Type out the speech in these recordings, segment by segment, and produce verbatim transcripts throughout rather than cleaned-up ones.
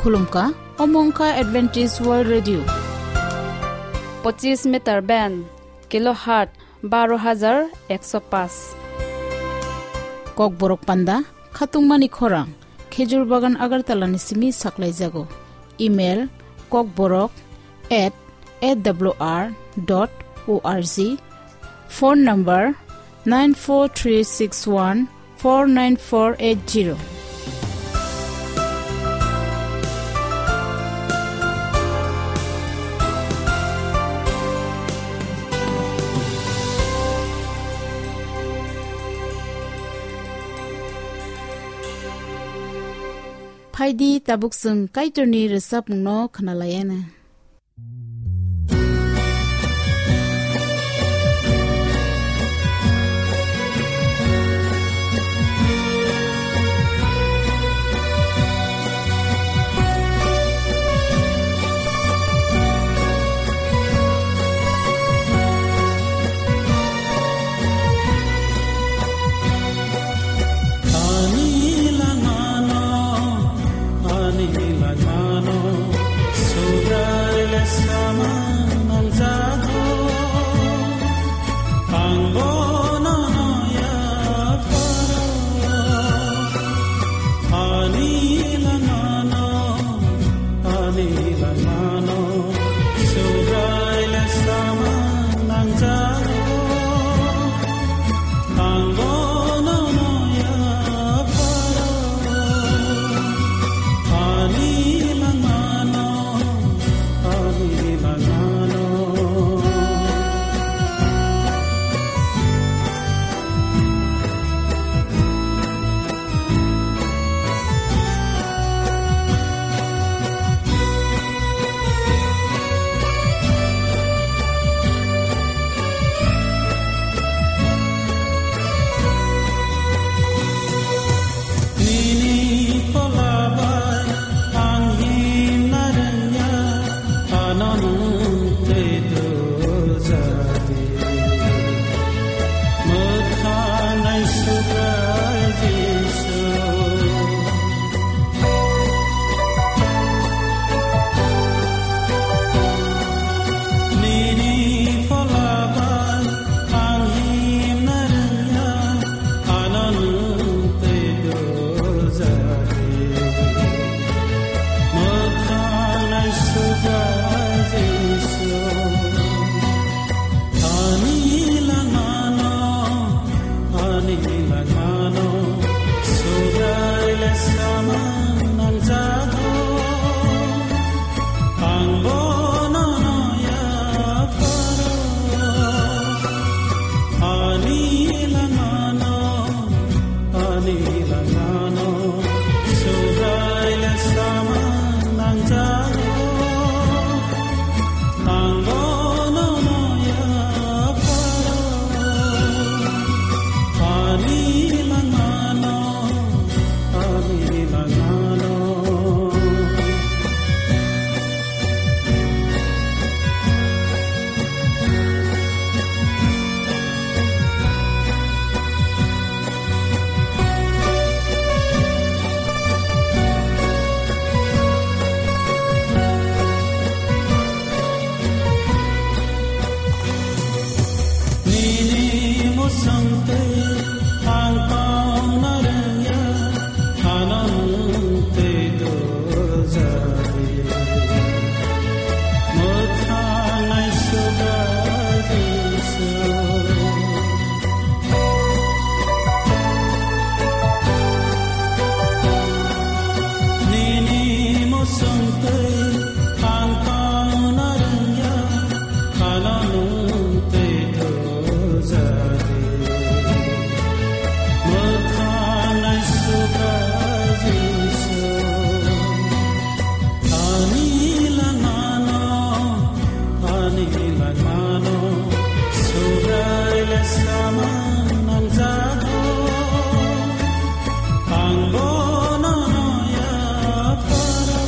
Khulumkha, omo wngkha Adventist World Radio. Pochis meter band, kilohertz baro hajar ekso paanch. Kokborok panda, khatungmani khorang, Khejur Bagan Agartala ni simi saklaijago. Email, kokborok at A W R dot O R G. Phone number, nine four three six one four nine four eight zero. Phaidi, tabuk chwng Kaitorni rwchapmungno khwnalaiyana. Ani langmano, ani langmano, Subraile samang nangjago, ang bono yapharo. Ani langmano, ani langmano, Subraile samang nangjago. Ang bono yapharo, ani langmano, ani langmano. Nini phola bai ang himna rwngya, ano nwng tei dujadi. Mwthang naisugrai Jisu. Nini phola bai ang himna rwngya, ano nwng tei dujadi. Mwthang naisugrai Jisu. Ani langmano, ani langmano, Subraile samang nangjago. Ang bono yapharo, ani langmano, ani langmano, Subraile samang nangjago. Ang bono yapharo, ani langmano, ani langmano. Nini mwswng tei ang tongna rwngya, ano nwng tei dujadi. Mwthang naisugrai Jisu. Nini mwswng tei ang tongna rwngya, ano nwng tei dujadi. Mwthang naisugrai Jisu. Ani langmano, ani langmano, Subraile samang nangjago. Ang bono yapharo,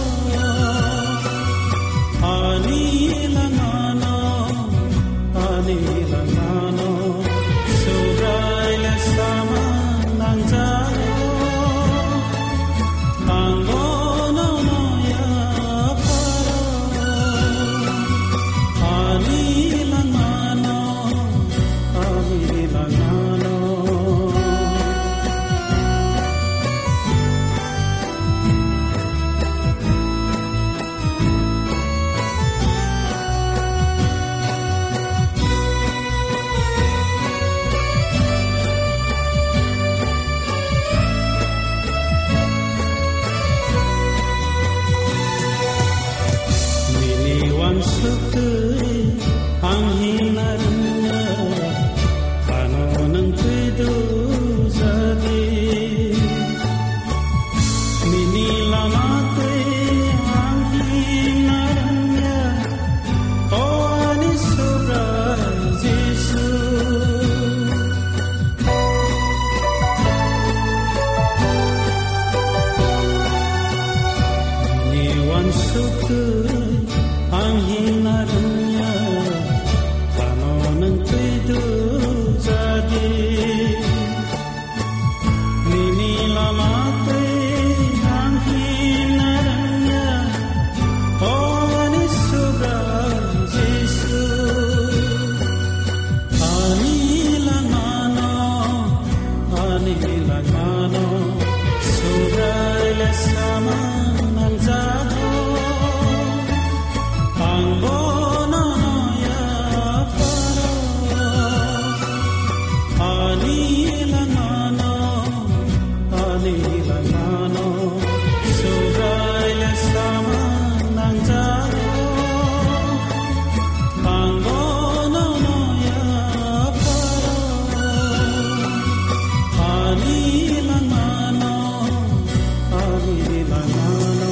Ang suktu, ang hina rungya, pano nang tui du jadi. Nini lama tui ang hina rungya, o ani Subrai Jisu. Ani langmano, ani langmano, Subrai le samang nangjago. Ang bono noya pharo. Ani langmano, ani langmano, Subrai le samang nangjago. Ang bono noya pharo. Ani langmano, ani langmano.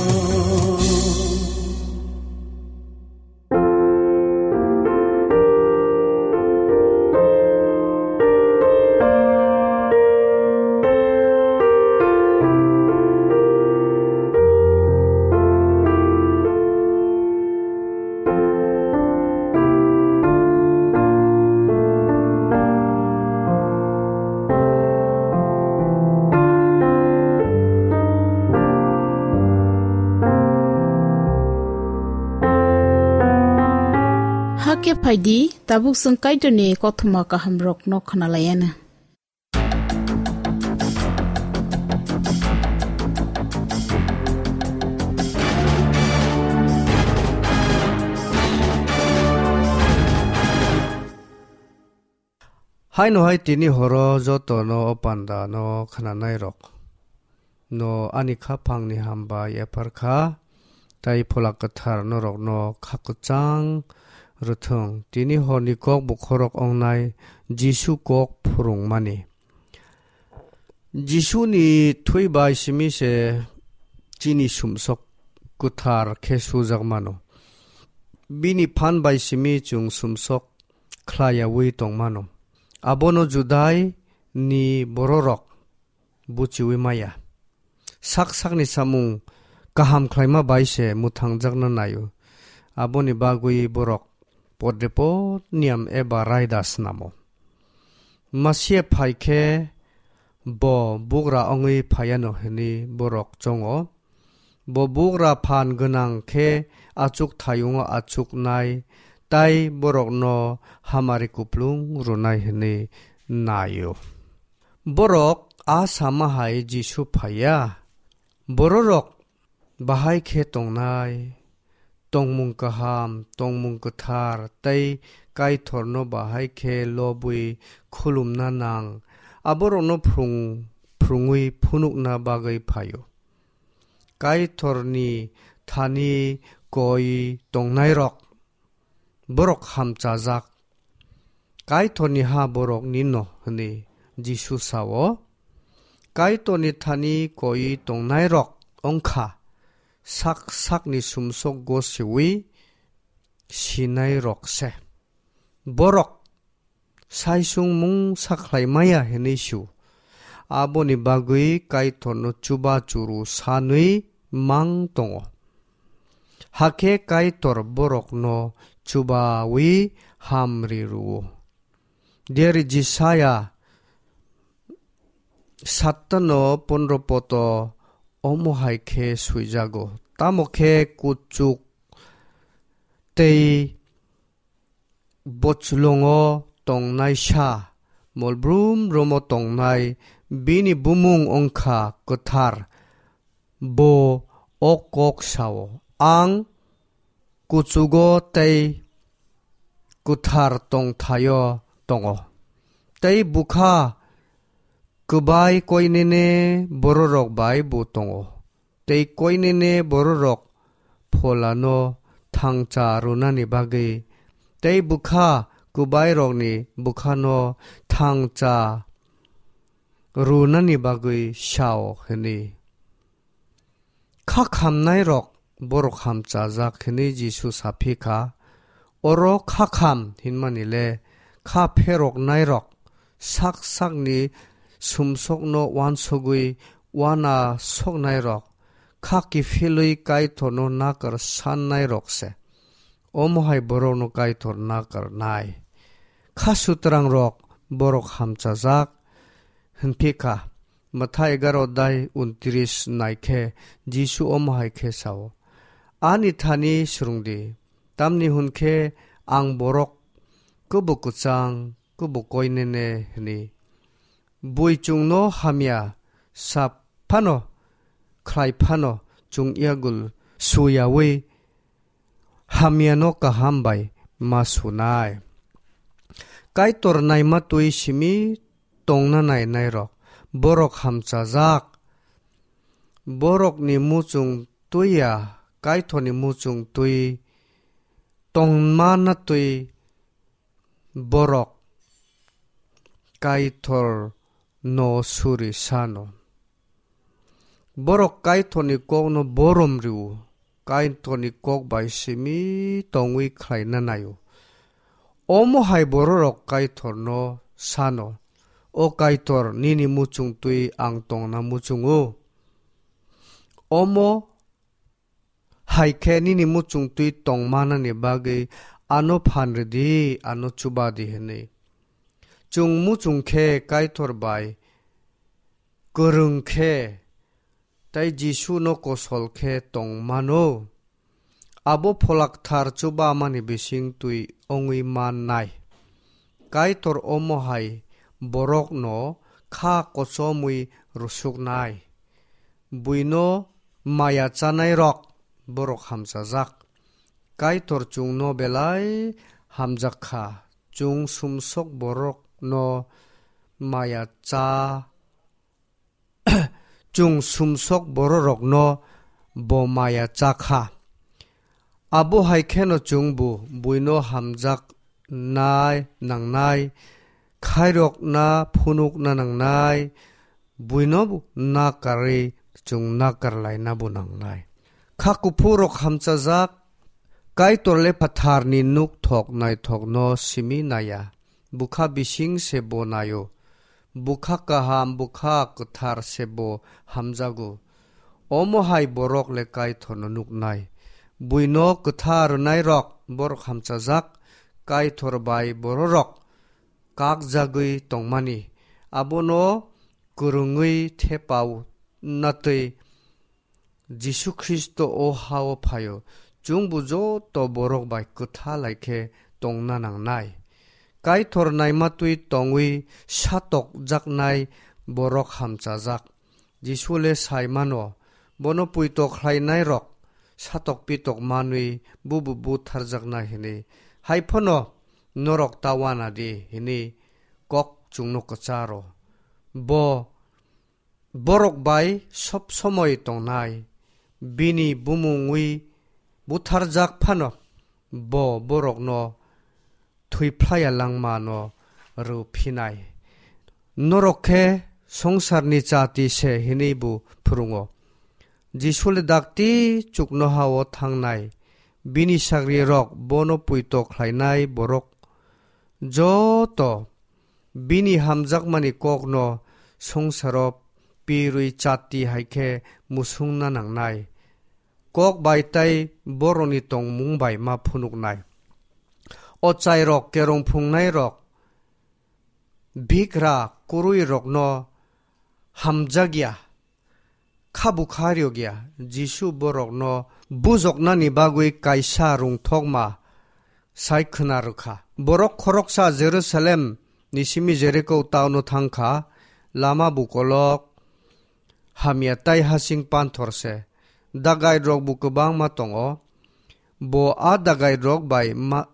Hakhe phaidi, tabuk chwng Kaitorni kothoma kahamrokno khwnalaiyana. Haino hai tini horo jotono o panda no khnanai rok no ani khaphang ni hambai ephar kha, tai Phola Kwthar norok no kha kwchang rwthwng. Tini hor ni kok bukhorok wngnai Jisu kok phwrwngmani. Jisu ni thwi bai simi se chini sumsok kwthar khe sujak mano. Bini phan bai simi chwng sumsok khlaiyaui tongmano. Abono Judai ni bororok buchiui maya. Sak sakni samung kaham khlaima bai se mwthangjakna naio. Aboni bagwi borok podre pod niyam eba raida snamo. Masia phai khe bo bugra wngwi phaiano hwnwi borok chongo. Bo bugra phan gwnang khe achuk thayungo achuknai, tai borokno hamari kuplung rwnai hwnwi naio. Borok a sama hai Jisu phaiya. Bororok bahai khe tongnai, tongmung kaham, tongmung kwthar tei Kaitorno bahai khe lobwi khulumna nang, aborokno phrwng-, phrwngwi phunukna bagwi phaio. Kaitorni thani koi tongnairok, borok hamchajak. Kaitorni ha borokni no hwnwi Jisu sao. Kaitorni thani koi tongnairok wngkha sak sakni sumsok gosiwi sinairok se. Borok saisung mungsa khlai maya hwnwi su. Aboni bagwi Kaitorno chuba churu sanwi mang tongo. Hakhe Kaitor borokno chubawi hamri rwo. Deri Jisaya sattano pondro poto omo hai khe swijago. Tamo khe kuchuk tei bochlongo tongnaisa, molbrum romo tongnai bini bumung wngkha kwthar. Bo o kok sao, "Ang kuchugo tei kwthar tongthaio tongo, tei bwkha kwbai koinene bororok bai bo tongo." Tei koinene bororok pholano thangcha rwnani bagwi, tei bwkha kwbairokni bwkhano thangcha rwnani bagwi sao hwnwi. Kha khamnairok borok hamchajak hwnwi Jisu saphi kha. Oro kha kham hinmani le kha pheroknairok, sak sakni sumsokno uansugwi uana soknairok, kha kiphilwi Kaitorno nakar sannairok se. Omo hai borokno Kaitor nakar nai. Kha sutrangrok borok hamchajak, hwnphi kha. Matha egaro dai untris nai khe Jisu omo hai khe sao, "Ani thani swrwng di, tamni hwn khe ang borok kwbo kwchang, kwbo koinene," hwnwi. Bui chwngno hamya sa phano, khlai phano, chwng yagul suyaui hamyano kaham bai ma sunai. Kaitor naima twi simi tongna nainairok, borok hamchajak. Borokni muchung twi ya, Kaitorni muchung twi tongmana twi borok Kaitorno suri sano. Borok Kaitorni kokno borom rio, Kaitorni kok bai simi tongwi khlaina naio. Omo hai bororok Kaitorno sano, "O Kaitor, nini muchung twi ang tongna muchungo. Omo hai khe nini muchung twi tongmanani bagwi ano phan rwdi, ano chuba di," hwnwi. Chwng muchung khe Kaitor bai kwrwng khe tei Jisuno kosol khe tong mano, abo Phola Kwthar chubamani bising twi wngwi mannai. Kaitor omo hai borokno kha kochomwi rwsuknai. Buino maya chanairok borok hamchajak. Kaitor chwngno belai hamjak kha. Chwng sumsok borokno maya cha, chwng sumsok bororokno bo maya cha kha. Abo hai kheno chwngbo buino hamjaknai nangnai, khairokna phunukna nangnai, buino nakarwi chwng nakar laina bo nangnai. Kha kuphurok hamchajak, Kaitor le phatharni nuk thok naithokno simi naiya. Bwkha bising se bo naio. Bwkha kaham, bwkha kwthar se bo hamjago. Omo hai borok le Kaitorno nuknai. Buino kwtha rwnairok borok hamchajak, Kaitor bai bororok kakjagwi tongmani. Abono kwrwngwi thepao natwi Jisu Khristo o ha-o phaio, chwngbo joto borok bai kwtha lai khe tongna nangnai. Kaitor naima twi tongwi satokjaknai borok hamchajak. Jisu le sai mano, bono puito khlainairok satok pitok manwi bubo butharjaknai hwnwi. Hai phano norok ta uana di hwnwi kok chwngno kwcharo. Bo borok bai sob somoi tongnai, bini bumungwi butharjak phano bo borokno thwiphlaiya langmano rw phinai. Norok khe songsarni chati se hwnwi bo phwrwngo. Jisu le dakti chuknoha-o thangnai, bini sagrirok bono puito khlainai borok joto bini hamjakmani kokno songsaro pirwi chati hai khe musungna nangnai. Kok bai tei borokni tongmung bai ma phunuknai. Ochairok, kerong phungnairok, bigra kwrwirokno hamjakya, kha bwkha rwkya. Jisu borokno bujoknani bagwi kaisa rwngthokma sai khwna rwkha. Borok khoroksa Jerusalem ni simi Jeriko town-o thangkha, lama bukolok hamya tei hasing panthor se. Dagait rok bo kwbangma tongo. Bo a dagait rok bai ma-,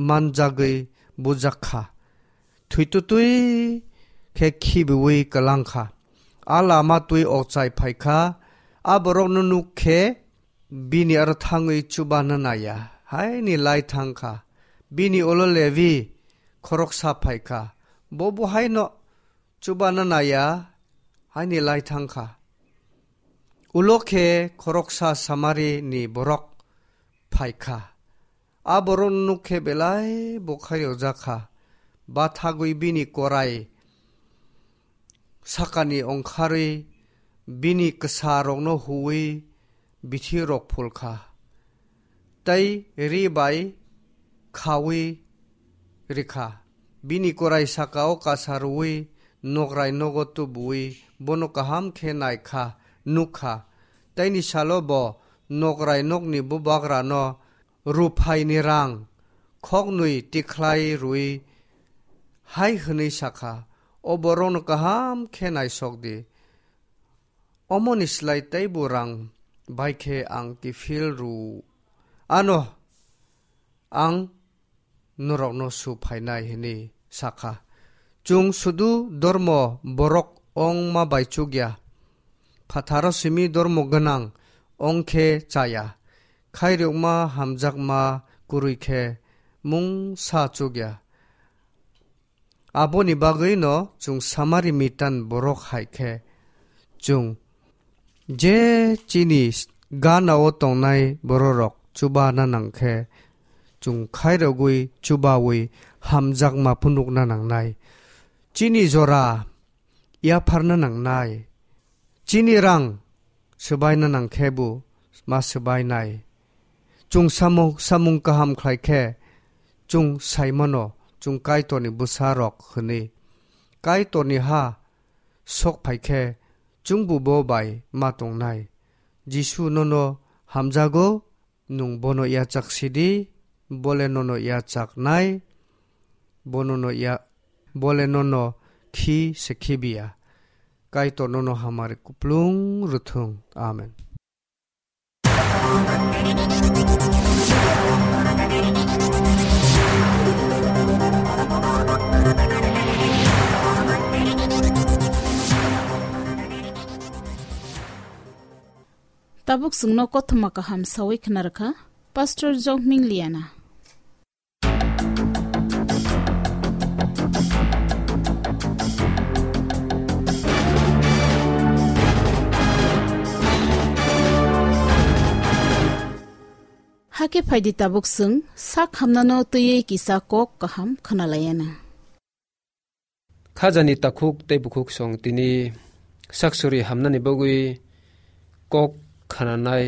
manjagwi bujak kha. Thwitwtwi khe khibiwi kwlang kha. A lama twi okchai phai kha. A borokno nuk khe bini aro thangwi chubana naiya, haini lai thang kha. Bini ulo Levi khoroksa phai kha. Bo bo haino chubana naiya, haini lai thang kha. Ulo khe khoroksa Samari ni borok phai kha. A borok nuk khe belai bwkha rwjak kha. Bathagwi bini korai sakani ongkharwi bini kwsa rokno huwi bithi rok phul kha, tei ri bai khaui rikha. Bini kwrai saka o kasa rwui nokrai nogo tubuui bono kaham khe nai kha, nuk kha. Teini salo bo nokrai nokni bubagrano ruphaini rang khoknwi tikhlai rwui hai hwnwi sa kha, "O borokno kaham khe naisok di. Omoni slai teibo rang bai khe ang kiphil rw ano ang norokno su phainai," hwnwi sa kha. Chwng sudu dormo borok ongma bai chukya, phatharo simi dormo gwnang ong khe chaya, khairokma hamjakma kwrwi khe mungsa chukya. Aboni bagwino chwng Samari mitan borok hai khe, chwng je chini gana o tongnai bororok chubana nang khe, chwng khairogwi chubawi hamjakma phunukna nangnai. Chini jora yapharna nangnai. Chini rang swbaina nang khe bo ma swbainai. Chwng samung, samung kaham khlai khe chwng sai mano, chwng Kaitorni bwsa rok hwnwi. Kaitorni ha sok phai khe chwngbo bo bai ma tongnai. Jisu nono hamjago, nwng bono yachak sidi, bole nono yachaknai, bono no ya, bole nono khi se khibiya. Kaitor nono hamari kuplung rwthwng. Amen. Tabuk chwngno kothoma kaham sawi khna rwkha Pastor Jokming Liana. Hakhe phaidi tabuk chwng sak hamnano twiwi kisa kok kaham khwnalaiana. Khajani takhuk tei bukhuk song tini saksuri hamnani bagwi kok khananai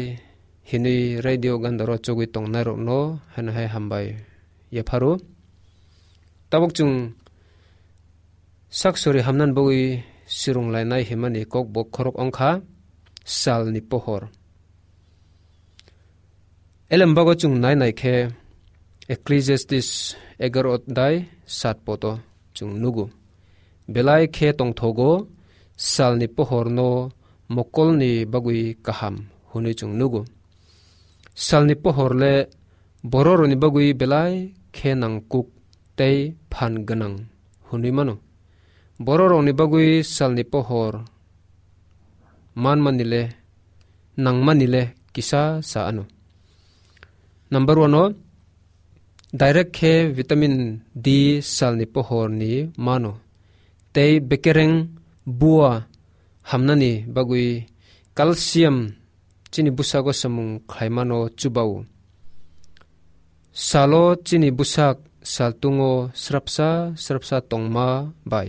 hinwi radio gandaro chogwi tongnairokno haino hai hambai yapharo. Tabuk chwng saksuri hamnani bagwi swrwnglainai himani kok bo khorok wngkha salni pohor. Elembago chwng nai nai khe Ecclesiastes egaro odai sat poto chwng nugo. Belai khe tongthogo salni pohorno mokolni bagwi kaham hwnwi chwng nugo. Salni pohor le bororokni bagwi belai khe nangkuk tei phan gwnang hwnwi mano. Bororokni bagwi salni pohor manmani le, nangmani le kisa sa ano. Number one o, direct khe vitamin D salni pohorni mano. Tei bekereng bua hamnani bagwi calcium chini bwsago samung khlaimano chubao. Salo chini bwsak saltungo srapsa srapsa tongma bai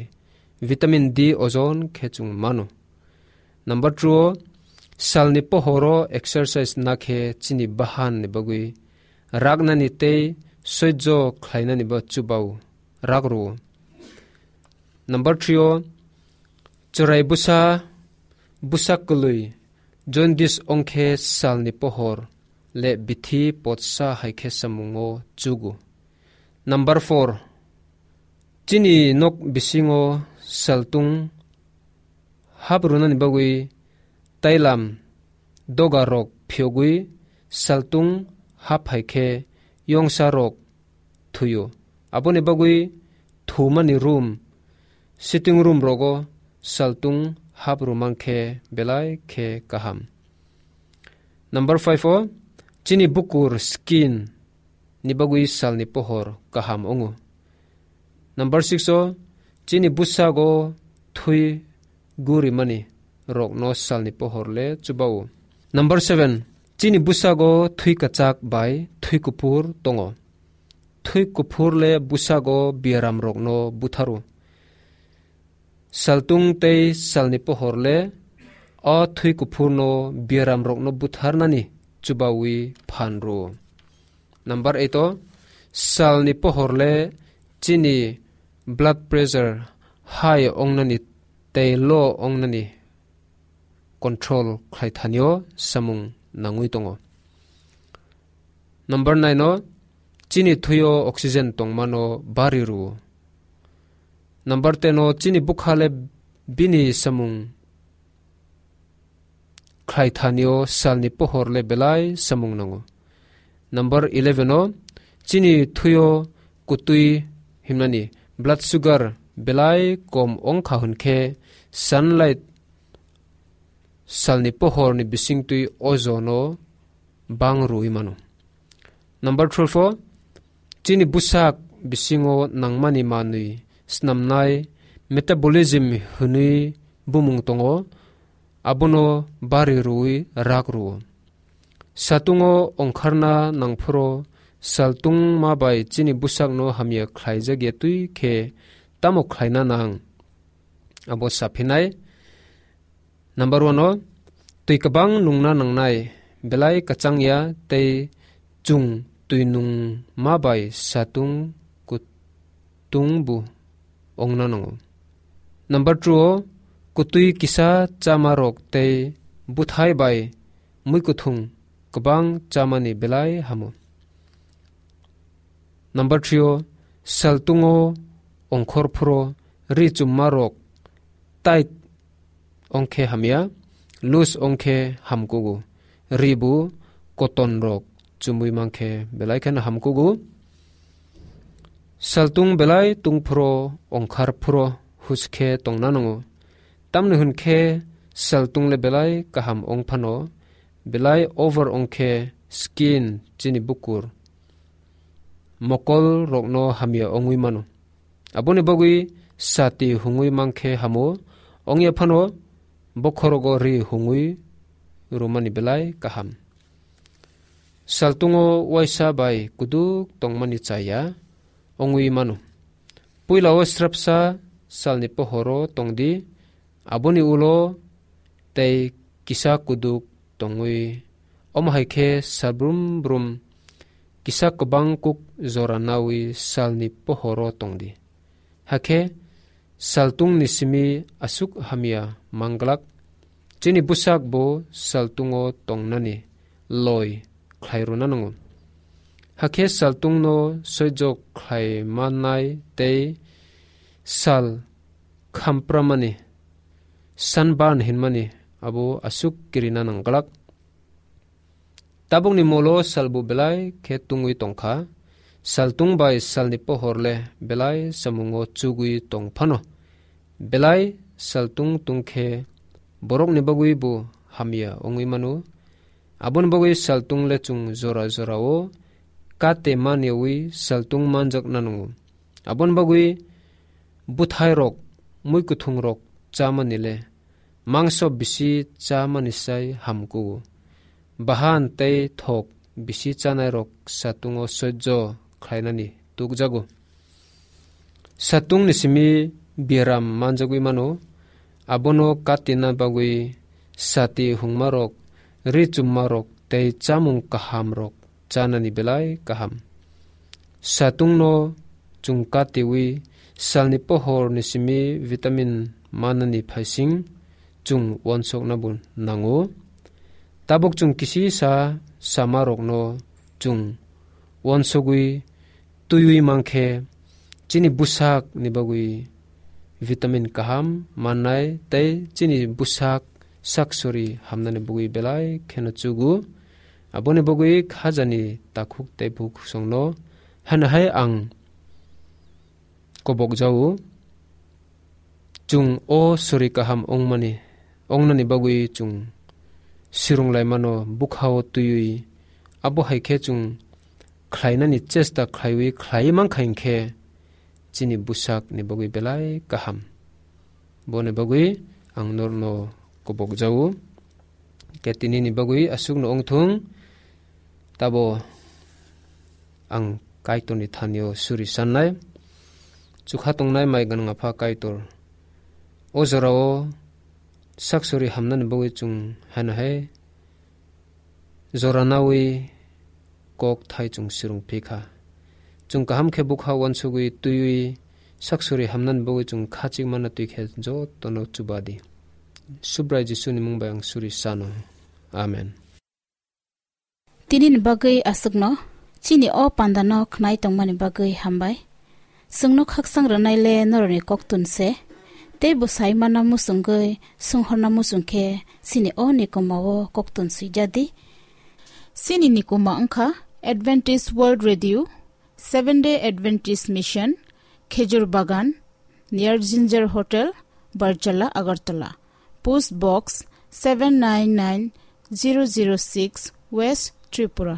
vitamin D ojon khe chwng mano. Number two o, salni pohoro exercise nakhe chini bahanni bagwi raknani tei soijo khlainani bo chubao, rak rwo. Number three o, chwrai bwsa, bwsa kwlwi, jaundice ongkhe salni pohor le bithi potsa hai khe samungo chugo. Number four, chini nok bisingo saltung hap rwnani bagwi tailam doga rok phiyogwi saltung hap hai khe yongsa rok thuio. Aboni bagwi thumani room, sitting room rogo saltung hap rwmang khe belai khe kaham. Number five o, chini bukur skin ni bagwi salni pohor kaham wngo. Number six o, chini bwsago thwi gurimani rokno salni pohor le chubao. Number seven, chini bwsago thwi kwchak bai thwi kuphur tongo. Thwi kuphur le bwsago biaram rokno butharo. Saltung tei salni pohor le o thwi kuphurno biaramrokno butharnani chubawi phan rwo. Number eight o, salni pohor le chini blood pressure high ongnani tei low ongnani control khlai thanio samung nangwi tongo. Number nine o, chini thwio oxygen tongmano bari rwo. Number ten o, chini bwkha le bini samung khlai thanio salni pohor le belai samung nango. Number eleven o, chini thwio kutwi himnani blood sugar belai kom ongkha hwn khe sunlight salni pohorni bisingtwi ojono bang rwwi mano. Number twelve o, chini bwsak bisingo nangmani manwi snamnai metabolism hwnwi bumung tongo, abono bari rwwi rak rwo. Satungo ongkharna nangphuru saltungma bai chini bwsakno hamya khlaijak ya twi khe tamo khlaina nang? Abo saphinai. Number one o, twi kwbang nungna nangnai, belai kwchang ya tei chwng twi nungma bai satung kutung bo ongna nango. Number two o, kutwi kisa chama rok tei bwthai bai mui kuthung kwbang chamani belai hamo. Number three o, saltungo ongkhor phuro ri chumma rok tight ongkhe hamya, loose ongkhe hamkugo. Ri bo cotton rok chumui mankhe belai kheno hamkugo. Saltung belai tungphuro ongkhar phuro huskhe tongna nango. Tamni hwn khe saltung le belai kaham ong phano, belai over ong khe skin chini bukur mokol rokno hamya ongwi mano. Aboni bagwi sati hungwi mankhe hamo, ongya phano bokhorogo ri hungwi rwmani belai kaham. Saltungo waisa bai kuduk tongmani chaya ongwi mano. Puilao srapsa salni pohoro tongdi, aboni ulo tei kisa kuduk tongwi, omo hai khe sal brum brum kisa kwbang kuk jora nawi salni pohoro tongdi. Hakhe saltungni simi aswk hamya manglak, chini bwsak bo saltungo tongnani loi khlai rwna nango. Hakhe saltungno soijo khlai mannai tei sal khampramani, sunburn hinmani abo aswk kirina nangglak. Tabukni molo salbo belai khe tungwi tongkha, saltung bai salni pohor le belai samungo chugwi tong phano. Belai saltung tungkhe borokni bagwi bo hamya wngwi mano. Aboni bagwi saltung le chwng jora jorao kate maniyawi saltung manjak nango. Aboni bagwi bwthairok, mui kuthungrok chamani le mangso bisi chamani sai hamkugo. Bahan tei thok bisi chanairok satungo soijo khlainani tukjago. Satungni simi biaram manjagwi mano, abono katina bagwi sati hungmarok, ri chummarok tei chamung kahamrok chanani belai kaham. Satungno chwng katiwi salni pohorni simi vitamin manani phaising chwng uansukna bo nango. Tabuk chwng kisisa samarokno chwng uansugwi twiwi mankhe chini bwsakni bagwi vitamin kaham mannai tei chini bwsak sak sori hamnani bagwi belai kheno chugo. Aboni bagwi khajani takhuk tei bukhuk songno hano hai ang kobok jao. Chwng o sori kaham ongmani, ongnani bagwi chwng sirung laimano bwkhao twiwi, abo hai khe chwng khlainani chesta khlaiwi khlaiwi mankha hinkhe chini bwsakni bagwi belai kaham. Boni bagwi ang norno kobok jao. Khe tinini bagwi aswkno wngthung, tabo ang Kaitorni thanio suri sannai. Chukha tongnai mai gwnang Apha Kaitor, o jorao saksuri hamnani bagwi chwng haino hai jora nawi kok thai chwng swrwng phi kha. Chwng kaham khe bwkha uansugwi twiwi saksuri hamnani bagwi chwng khachik manna twi khe jotono chuba di. Subrai Jisuni mung bai ang suri sano. Amen. Tinini bagwi aswkno, chini o pandano khnai tongmani bagwi hambai. Chwngno khaksang rwnai le norokni koktun se, tei bo sai manna muchungwi swnghorna muchung khe chini o nikoma o koktun swijadi. Chini nikoma wngkha Adventist World Radio, Seventh Day Adventist Mission, Khejur Bagan, near Ginger Hotel, Barjala, Agartala. Post Box seven nine nine zero zero six, West Tripura.